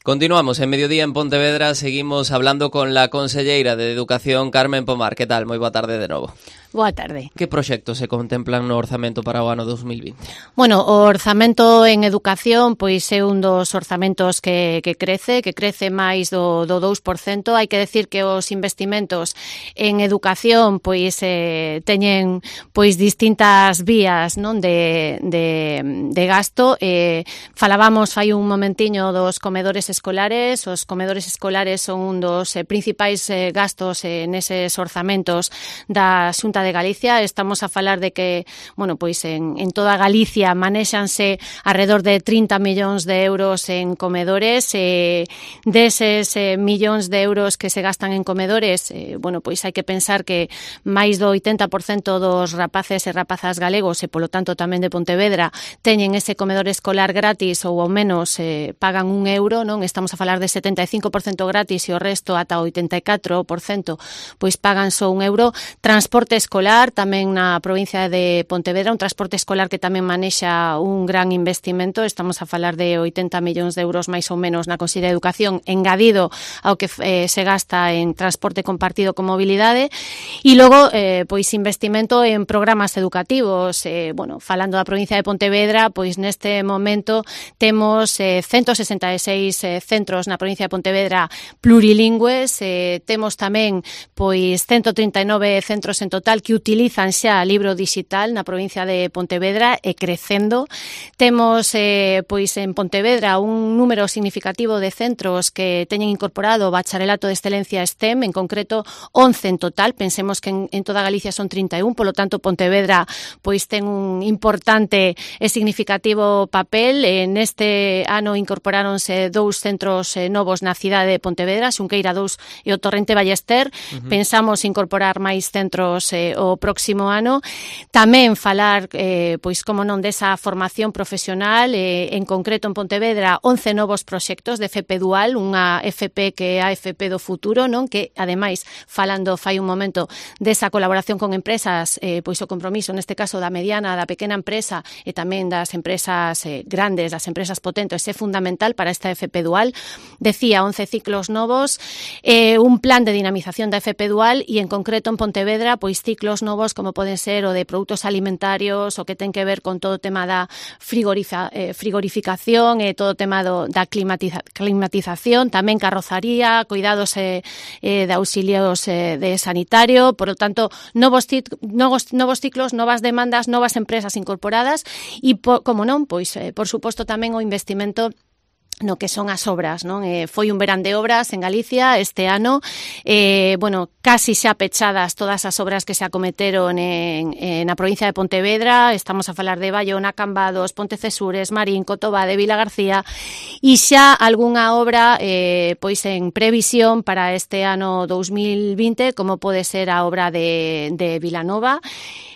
Continuamos en Mediodía en Pontevedra, seguimos hablando con la conselleira de Educación, Carmen Pomar. Que tal? Moi boa tarde de novo. Boa tarde. Que proxectos se contemplan no orzamento para o ano 2020? Bueno, o orzamento en educación pois é un dos orzamentos que crece máis do 2%. Hai que decir que os investimentos en educación pois teñen pois distintas vías, non, de gasto. Falábamos fai un momentiño dos comedores escolares. Os comedores escolares son un dos principais gastos neses orzamentos da Xunta de Galicia. Estamos a falar de que, bueno, pois en toda Galicia manexanse alrededor de 30 millóns de euros en comedores. Deses millóns de euros que se gastan en comedores, bueno, pois hai que pensar que máis do 80% dos rapaces e rapazas galegos, e polo tanto tamén de Pontevedra, teñen ese comedor escolar gratis ou ao menos pagan €1, non? Estamos a falar de 75% gratis e o resto ata 84% pois pagan só €1. Transporte escolar tamén na provincia de Pontevedra, un transporte escolar que tamén manexa un gran investimento. Estamos a falar de 80 millóns de euros máis ou menos na Consellería de Educación, engadido ao que se gasta en transporte compartido con mobilidade. E logo, pois investimento en programas educativos. Bueno, falando da provincia de Pontevedra, pois neste momento temos 166 centros na provincia de Pontevedra plurilingües. Temos tamén pois 139 centros en total que utilizan xa libro digital na provincia de Pontevedra e crecendo. Temos pois en Pontevedra un número significativo de centros que teñen incorporado o bacharelato de excelencia STEM, en concreto 11 en total. Pensemos que en toda Galicia son 31, polo tanto Pontevedra pois ten un importante e significativo papel. Neste ano incorporáronse 2 centros novos na cidade de Pontevedra, Xunqueira 2 e o Torrente Ballester. Pensamos incorporar máis centros o próximo ano. Tamén falar, pois como non, desa formación profesional, en concreto en Pontevedra 11 novos proxectos de FP Dual, unha FP que é a FP do futuro, non, que ademais, falando fai un momento desa colaboración con empresas, pois o compromiso neste caso da mediana, da pequena empresa e tamén das empresas grandes, das empresas potentes, é fundamental para esta FP Dual. Decía, 11 ciclos novos, un plan de dinamización da FP Dual e en concreto en Pontevedra, pois ciclos novos como poden ser o de produtos alimentarios, o que ten que ver con todo o tema da frigorificación e todo o tema da climatización, tamén carrozaría, cuidados de auxilios de sanitario. Por lo tanto, novos ciclos, novas demandas, novas empresas incorporadas e, como non, pois, por suposto, tamén o investimento no que son as obras, non? Foi un verán de obras en Galicia este ano, bueno, casi xa pechadas todas as obras que se acometeron na provincia de Pontevedra. Estamos a falar de Bayona, Cambados, Pontecesures, Marín, Cotobade, Vila García, e xa algunha obra pois en previsión para este ano 2020, como pode ser a obra de Vilanova,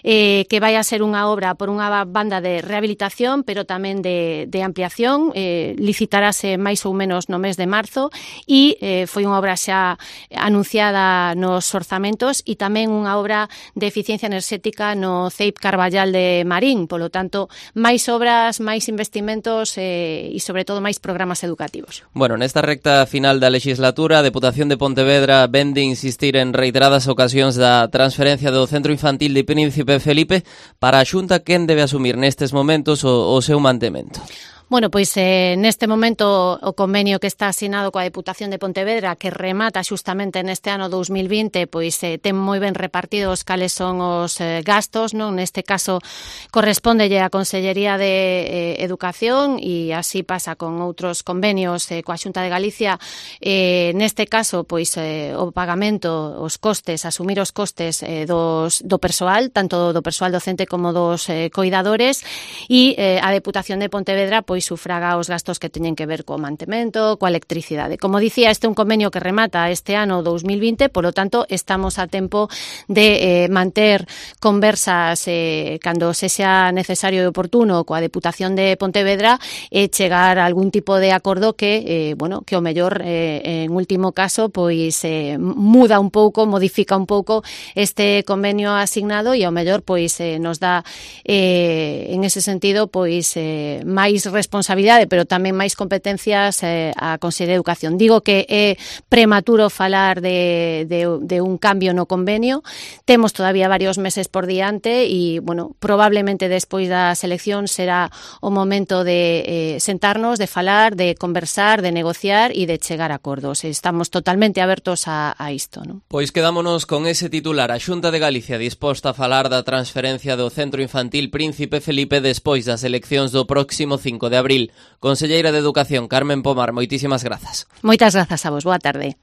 que vai a ser unha obra por unha banda de rehabilitación, pero tamén de ampliación. Licitarase máis ou menos no mes de marzo e foi unha obra xa anunciada nos orzamentos e tamén unha obra de eficiencia enerxética no CEIP Carballal de Marín. Polo tanto, máis obras, máis investimentos e, sobre todo, máis programas educativos. Bueno, nesta recta final da legislatura, a Deputación de Pontevedra vende insistir en reiteradas ocasións da transferencia do Centro Infantil de Príncipe Felipe. Para a Xunta, quen debe asumir nestes momentos o seu mantemento? Bueno, pois neste momento o convenio que está asinado coa Deputación de Pontevedra, que remata xustamente neste ano 2020, pois ten moi ben repartidos cales son os gastos, non? Neste caso correspóndelle á Consellería de Educación e así pasa con outros convenios coa Xunta de Galicia. Neste caso, pois o pagamento, os costes, asumir os costes do persoal, tanto do persoal docente como dos coidadores, e a Deputación de Pontevedra pois sufraga os gastos que teñen que ver co mantemento, coa electricidade. Como dicía, este é un convenio que remata este ano 2020, polo tanto, estamos a tempo de manter conversas cando sexa necesario e oportuno coa Deputación de Pontevedra e chegar a algún tipo de acordo que, bueno, que o mellor en último caso pois muda un pouco, modifica un pouco este convenio asignado e ao mellor pois nos dá en ese sentido pois máis responsabilidade responsabilidade, pero tamén máis competencias a Consellería de Educación. Digo que é prematuro falar de un cambio no convenio. Temos todavía varios meses por diante e, bueno, probablemente despois das eleccións será o momento de sentarnos, de falar, de conversar, de negociar e de chegar a acordos. Estamos totalmente abertos a isto, non? Pois quedámonos con ese titular. A Xunta de Galicia disposta a falar da transferencia do Centro Infantil Príncipe Felipe despois das eleccións do próximo 5 de abril. Conselleira de Educación, Carmen Pomar, moitísimas grazas. Moitas grazas a vos, boa tarde.